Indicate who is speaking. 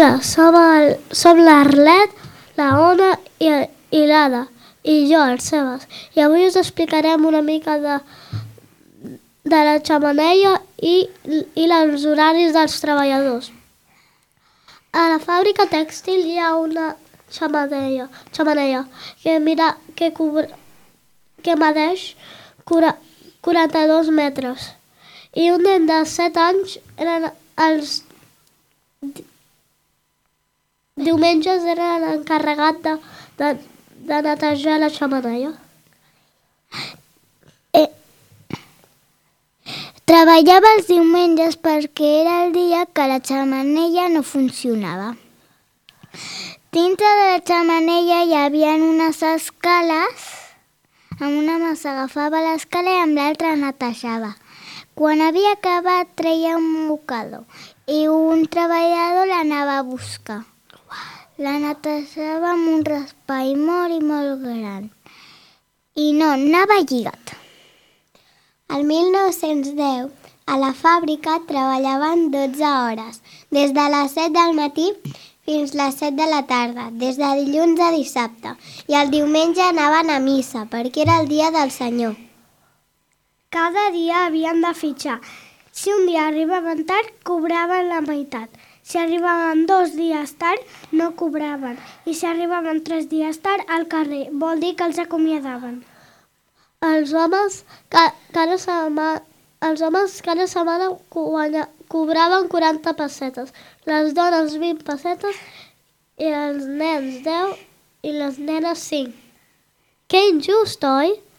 Speaker 1: Hola, som l'Arlet, la Ona i l'Ada, i jo, el Sebas. I avui us explicarem una mica de la xemeneia i els horaris dels treballadors. A la fàbrica tèxtil hi ha una xemeneia que medeix 42 metres. I un nen de 7 anys els diumenges era l'encarregat de netejar la xemeneia.
Speaker 2: Treballava els diumenges perquè era el dia que la xemeneia no funcionava. Dintre de la xemeneia hi havia unes escales, amb una mà s'agafava l'escala i amb l'altra netejava. Quan havia acabat treia un mocador i un treballador l'anava a buscar. La netejava amb un raspall molt gran i no anava lligat. El 1910 a la fàbrica treballaven 12 hores, des de les 7 del matí fins les 7 de la tarda, des de dilluns a dissabte, i el diumenge anaven a missa perquè era el dia del Senyor.
Speaker 1: Cada dia havien de fitxar. Si un dia arribaven tard, cobraven la meitat. Si arribaven 2 dies tard, no cobraven. I si arribaven 3 dies tard, al carrer. Vol dir que els acomiadaven. Els homes cada setmana cobraven 40 pessetes, les dones 20 pessetes i els nens 10 i les nenes 5. Que injust, oi?